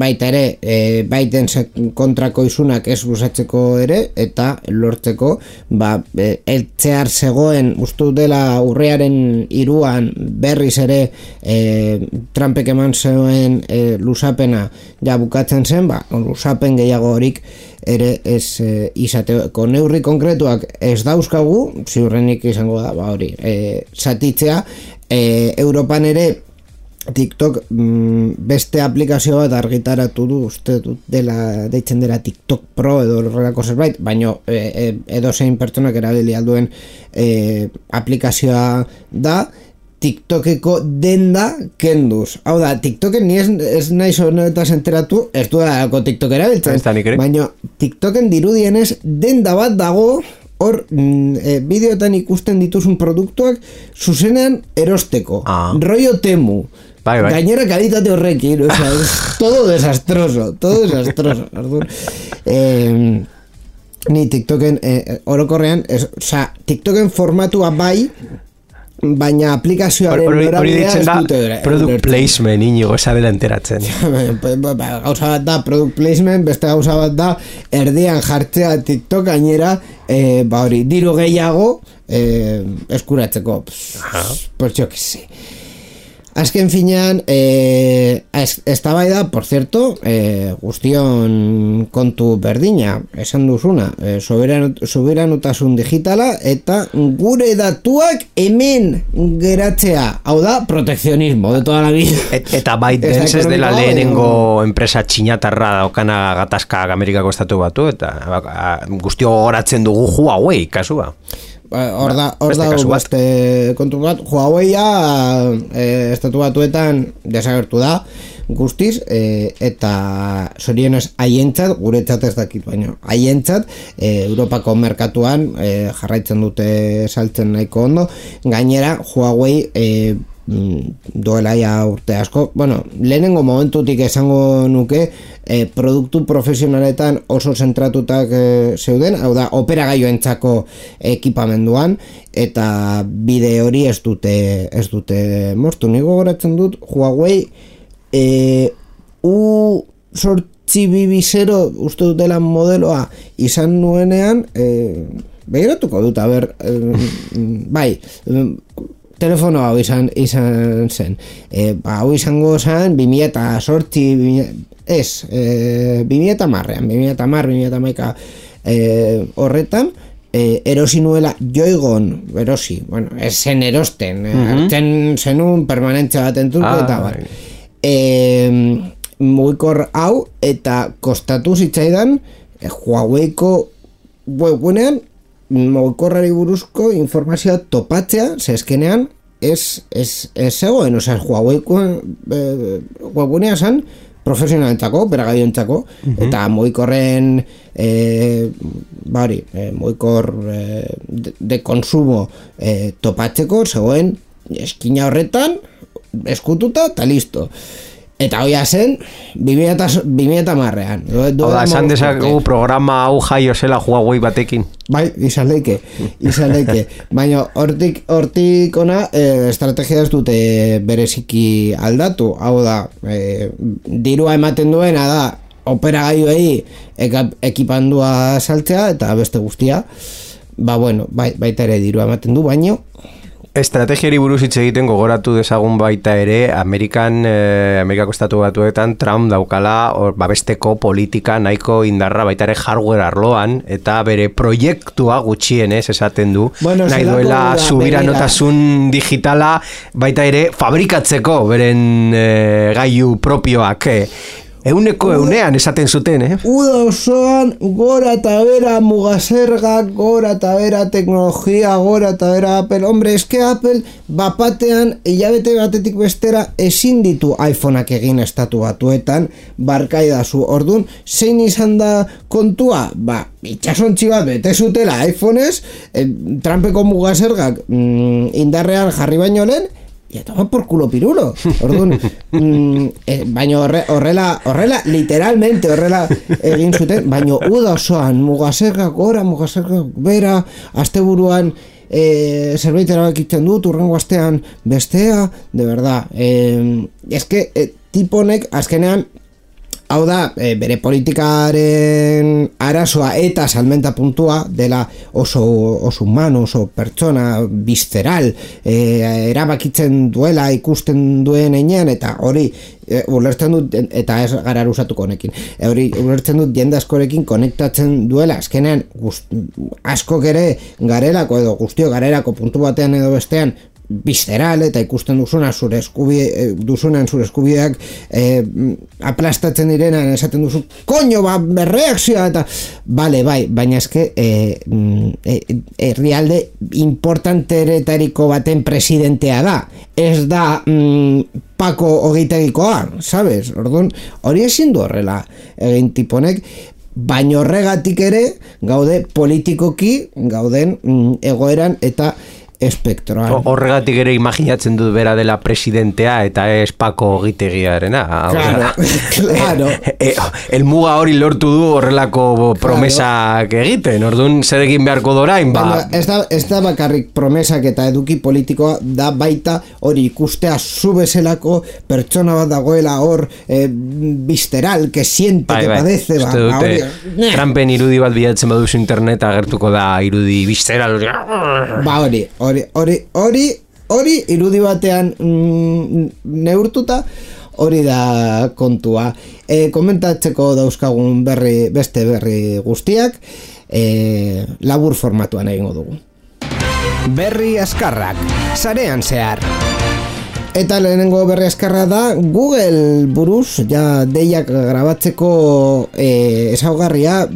baita ere, baiten kontrako izunak ez luzatzeko ere, eta lortzeko, eltzear zegoen, ustu dela urriaren 3 berriz ere, Trumpek eman zegoen luzapena ja bukatzen zen, luzapen gehiago horik ere ez izateko neurri konkretuak ez dauzkagu, ziurrenik izango da, hori, zatitzea, Europan ere TikTok beste aplikazio bat argitaratu du, uste dut deitzen dela TikTok Pro edo horrelako zerbait, baina edozein pertsonak erabili alduen aplikazioa da, TikTokeko denda kenduz. Hau da, TikToken ni ez naiz honetaz enteratu, ez du dago TikTok erabiltzen, baina TikToken dirudienez denda bat dago hor bideotan ikusten dituzun produktuak zuzenean erosteko. Rollo Temu. Bai. Gainera kalitate horrekin, o sea, todo desastroso. Ni TikToken orokorrean, o sea, TikToken formatua bai, baina aplikazioaren norabidea ez dute product placement inigo esabela enteratzen. Gauza bat da product placement, beste gauza bat da erdian jartzea TikTok gainera hori, diru gehiago eskuratzeko. Pues yo que sé. azken finean, eztabaida, por cierto, guztion kontu berdina, esan duzuna, soberanutasun digitala eta gure datuak hemen geratzea, hau da, proteccionismo de toda la vida. Eta ByteDance ez dela lehenengo enpresa txinatarra daukana gatazka Amerikako estatu batu, eta guztio goratzen dugu Huawei kasua. Hor da beste kontu bat, Huawei-a estatu batuetan desagertu da guztiz, eta zorionez haientzat, guretzat ez dakit baino, haientzat Europako merkatuan jarraitzen dute saltzen nahiko ondo, gainera Huawei duela ja urte asko, bueno, lehenengo momentutik esango nuke produktu profesionaletan oso zentratutak zeuden, hau da, operagailuentzako ekipamenduan, eta bide hori ez dute moztu. Nik gogoratzen dut, Huawei U820 uste dutela modeloa izan nuenean, begiratuko dut, a ber, bai, telefono hau izan zen. Hau izango zen 2008, 2010 horretan, erosi nuela joigon, bueno, ez zen erosten, hartzen zenun permanentzia bat entzulko eta bat. Mugikor hau, eta kostatu zitzaidan Huaweiko webgunean mugikorrari buruzko informazioa topatzea, zezkenean ez zegoen, osea, Huaweiko webgunea zen profesionalentzako, operagailuentzako, eta mugikorren mugikor de consumo topatzeko zegoen eskina horretan eskututa eta listo. Eta hoia zen 2010an. Oda, esan dezakegu programa hau jaio zela Huawei batekin. Bai, izan leike. Baina hortik ona estrategia ez dute bereziki aldatu. Hau da, dirua ematen duena da operagailuei ekipandua saltzea eta beste guztia. Baita ere dirua ematen du, baino estrategiari buruz hitz egiten gogoratu dezagun baita ere Amerikako estatu batuetan Trump daukala babesteko politika nahiko indarra baita ere hardware arloan eta bere proiektua gutxienez esaten du nahi duela subiranotasun digitala baita ere fabrikatzeko beren gailu propioak Egunean esaten zuten, Uda osoan, gora eta bera mugasergak, gora eta bera teknologia, gora eta bera Apple. Hombre, eske Apple bapatean, hilabete batetik bestera, ezin ditu iPhoneak egin estatu batuetan, barkaidazu. Ordun, zein izan da kontua? Itxasontzi bat bete zutela iPhonez, Trumpeko mugasergak indarrean jarri baino lehen, y a tomar por culo pirulo. Orduan, baina horrela literalmente horrela egin zuten, baina uda osoan mugasergak gora, mugasergak bera, asteburuan zerbait erabakitzen dut, urrengo astean bestea, de verdad. Eske tiponek azkenean hau da, bere politikaren arazoa eta salmenta puntua dela oso humano, oso pertsona visceral, erabakitzen duela ikusten duen enean, eta hori ulertzen dut, eta ez gara usatuko honekin, hori ulertzen dut jende askorekin konektatzen duela, azkenean askok ere garelako edo guztio garelako puntu batean edo bestean visceral eta ikusten duzuna zure eskubideak aplastatzen direnan esaten duzu koño, berreakzioa eta bai, baina eske herrialde importanteretariko baten presidentea da, ez da Pako Ogeitegikoa, sabes? Orduan, hori ezin du horrela egin tiponek, baina horregatik ere gaude politikoki gauden egoeran eta espektroan. Horregatik ere imaginatzen dut bera dela presidentea eta ez Pako Ogitegiarena. Claro. Elmuga hori lortu du horrelako promesak egiten. Orduan zer egin beharko dorain, Ez da bakarrik promesak eta eduki politikoa da baita hori ikustea zu bezalako pertsona bat dagoela hor visceral, que siente, que padece. Trumpen irudi bat bilatzen baduzu internet agertuko da irudi visceral. Hori hori irudi batean neurtuta, hori da kontua. Komentatzeko dauzkagun beste berri guztiak, labur formatuan egingo dugu. Berri azkarrak, sarean zehar. Eta lehenengo berri azkarra da Google buruz ja deiak grabatzeko ezaugarria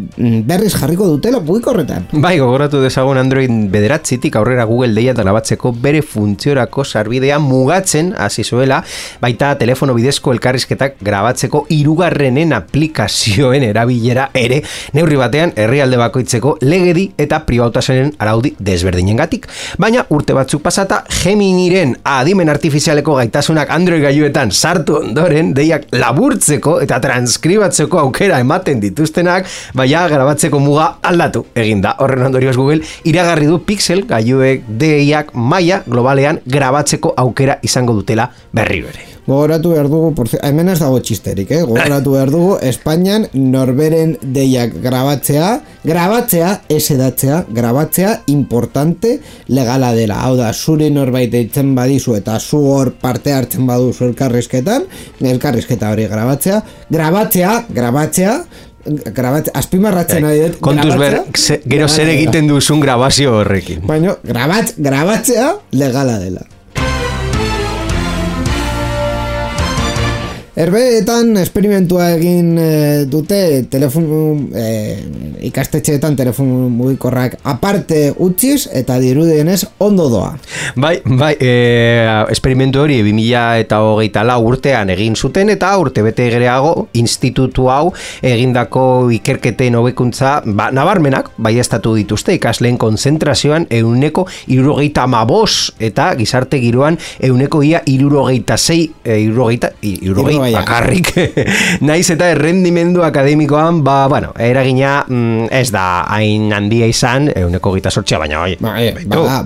berriz jarriko dutela mugikorretan. Bai, gogoratu dezagun Android 9tik aurrera Google deia grabatzeko bere funtziorako sarbidea mugatzen hasi zuela, baita telefono bidezko elkarrizketak grabatzeko 3. aplikazioen erabilera ere neurri batean herrialde bakoitzeko legedi eta pribautasunen araudi desberdinengatik. Baina urte batzuk pasata Geminiren adimen artifizialeko gaitasunak Android gailuetan sartu ondoren deiak laburtzeko eta transkribatzeko aukera ematen dituztenak, baina grabatzeko muga aldatu eginda. Horren ondorioz Google iragarri du Pixel gailuek deiak maila globalean grabatzeko aukera izango dutela berriro ere. Gogoratu behar dugu, hemen ez dago txisterik, gogoratu behar dugu, Espainian norberen deiak grabatzea, esedatzea, grabatzea importante legala dela. Hau da, zuri norbait deitzen badizu eta zu hor parte hartzen baduzu elkarrizketa hori grabatzea, azpimarratzen ari dut. Kontuz gero zer egiten duzun grabazio horrekin. Baina, grabatzea legala dela. Herbeetan esperimentua egin dute ikastetxeetan telefonu mugikorrak aparte utziz eta dirudienez ondo doa. Bai, esperimentu hori 2024 urtean egin zuten eta urte bete gereago institutu hau egindako ikerketen hobekuntza nabarmenak baieztatu dituzte ikasleen konzentrazioan 175 eta gizarte giroan 176 bakarrik. Naiz eta errendimendu akademikoan, eragina ez da hain handia izan, 128, baina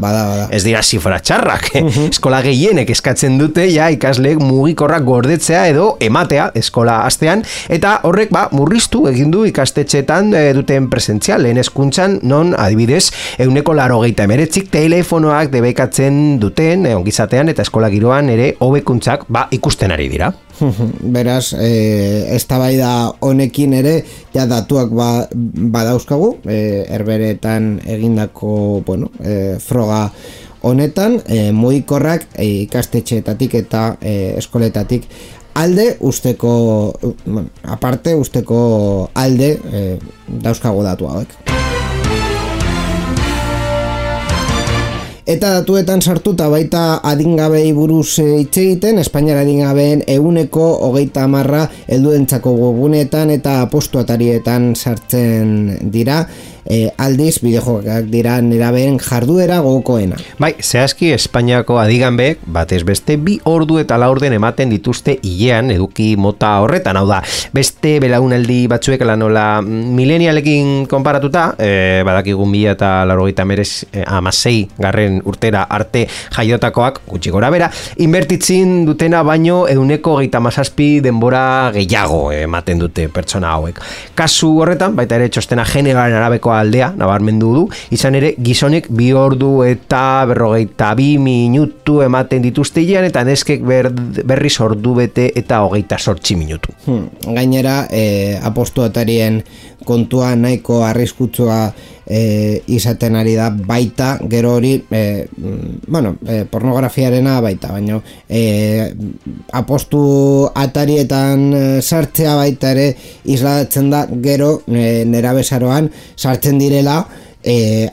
bada. Ez dira zifra txarrak. Eskola gehienek eskatzen dute ja ikasleek mugikorrak gordetzea edo ematea eskola astean, eta horrek murriztu egin du ikastetxeetan duten presentzial lehen hezkuntzan, non adibidez 189 telefonoak debekatzen duten ongizatean eta eskola giroan ere hobekuntzak ikusten ari dira. Beraz, eztabaida honekin ere ja datuak badauzkagu, herberetan egindako froga honetan, mugikorrak ikastetxeetatik eta eskoletatik alde usteko alde dauzkagu datu hauek. Eta datuetan sartuta baita adingabei buruz hitz egiten, Espainiar adingabeen 130 helduentzako webguneetan eta postuatarietan sartzen dira, aldiz bideojokoak dira nerabeen jarduera gogokoena. Bai, zehazki Espainiako adiganbeek batez beste 2 ordu eta 4 orden ematen dituzte hilean eduki mota horretan, hau da, beste belaunaldi batzuek lanola milenialekin konparatuta, badakigun 2086 garren urtera arte jaiotakoak gutxi gora bera, inbertitzin dutena baino 137 denbora gehiago ematen dute pertsona hauek. Kasu horretan, baita ere txostena generoaren arabeko aldea nabarmendu du, izan ere gizonek 2 ordu eta 42 minutu ematen dituzte hilean eta neskek berriz ordu bete eta 28 minutu. Gainera, apostuatarien kontua nahiko arriskutsua izaten ari da baita, gero hori pornografiarena baita, baina apostu atarietan sartzea baita ere islatzen da gero nerabezaroan sartzen direla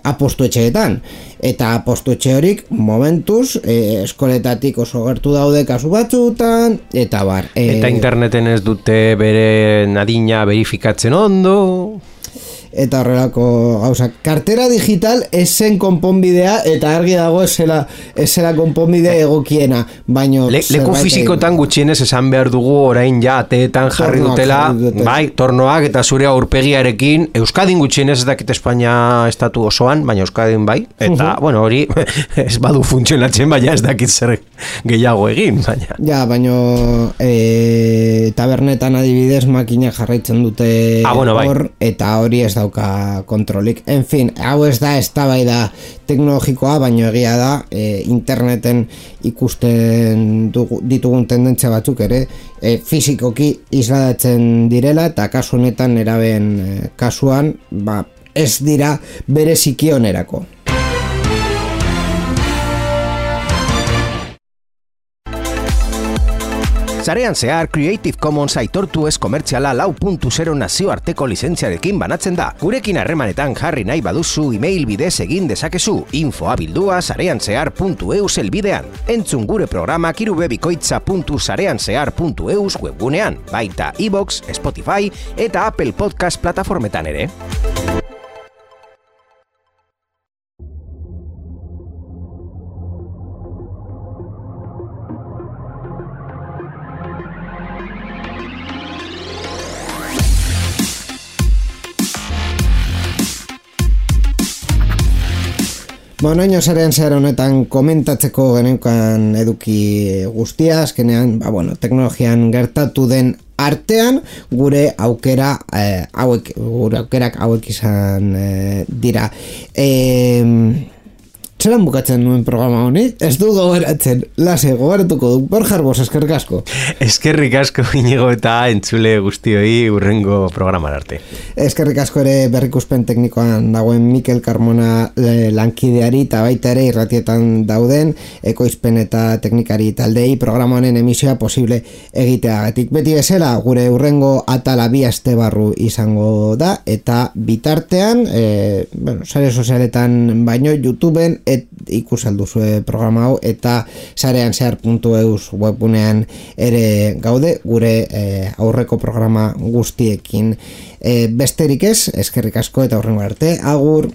apostu etxeetan, eta apostu etxe horik momentuz eskoletatik oso gertu daude kasu batzutan eta bar. Eta interneten ez dute bere adina verifikatzen ondo eta horrelako gauzak. Kartera digital esen konponbidea eta argi dago esela konponbide egokiena, baino leku fizikotan gutxienez esan behar dugu orain ja ateetan jarri dutela, bai, tornoak eta zure aurpegiarekin, Euskadin gutxienez ez dakit Espainia estatu osoan, baina Euskadin bai, eta hori ez badu funtzionatzen, baina ez dakit zer gehiago egin, baina. Ja, baino tabernetan adibidez makina jarraitzen dute hor, eta hori ez dauka kontrolik. En fin, hau ez da eztabaida teknologikoa, baino egia da interneten ikusten ditugun tendentzia batzuk ere fisikoki isladatzen direla, eta kasu honetan nerabeen kasuan ez dira bere zikionerako. Sarean zehar Creative Commons aitortu ez komertziala 4.0 nazioarteko lizentziarekin banatzen da. Gurekin harremanetan jarri nahi baduzu email bidez egin dezakezu info@sareanzehar.eus helbidean. Entzun gure programak irubebikoitza.sareanzehar.eus webgunean, baita iVoox, Spotify eta Apple Podcast plataformetan ere. Oinaino Sarean zehar honetan komentatzeko geneukan eduki guztia, azkenean, teknologian gertatu den artean gure aukerak hauek izan dira. Zeran bukatzen nuen programa honi? Ez du gogeratzen. Lase, gogoratuko du. Borja Arbos, eskerrik asko. Eskerrik asko, Inigo, eta entzule guztioi urrengo programar arte. Eskerrik asko ere berrikuspen teknikoan dagoen Mikel Carmona lankideari, eta baita ere irratietan dauden ekoizpen eta teknikari taldei programa honen emisioa posible egiteagatik. Beti bezala, gure urrengo atala 2 aste barru izango da, eta bitartean, sare sozialetan baino, YouTubeen ikusalduzue programa hau, eta sareanzehar.eus webgunean ere gaude gure aurreko programa guztiekin. Besterik ez, eskerrik asko eta hurrengo arte, agur!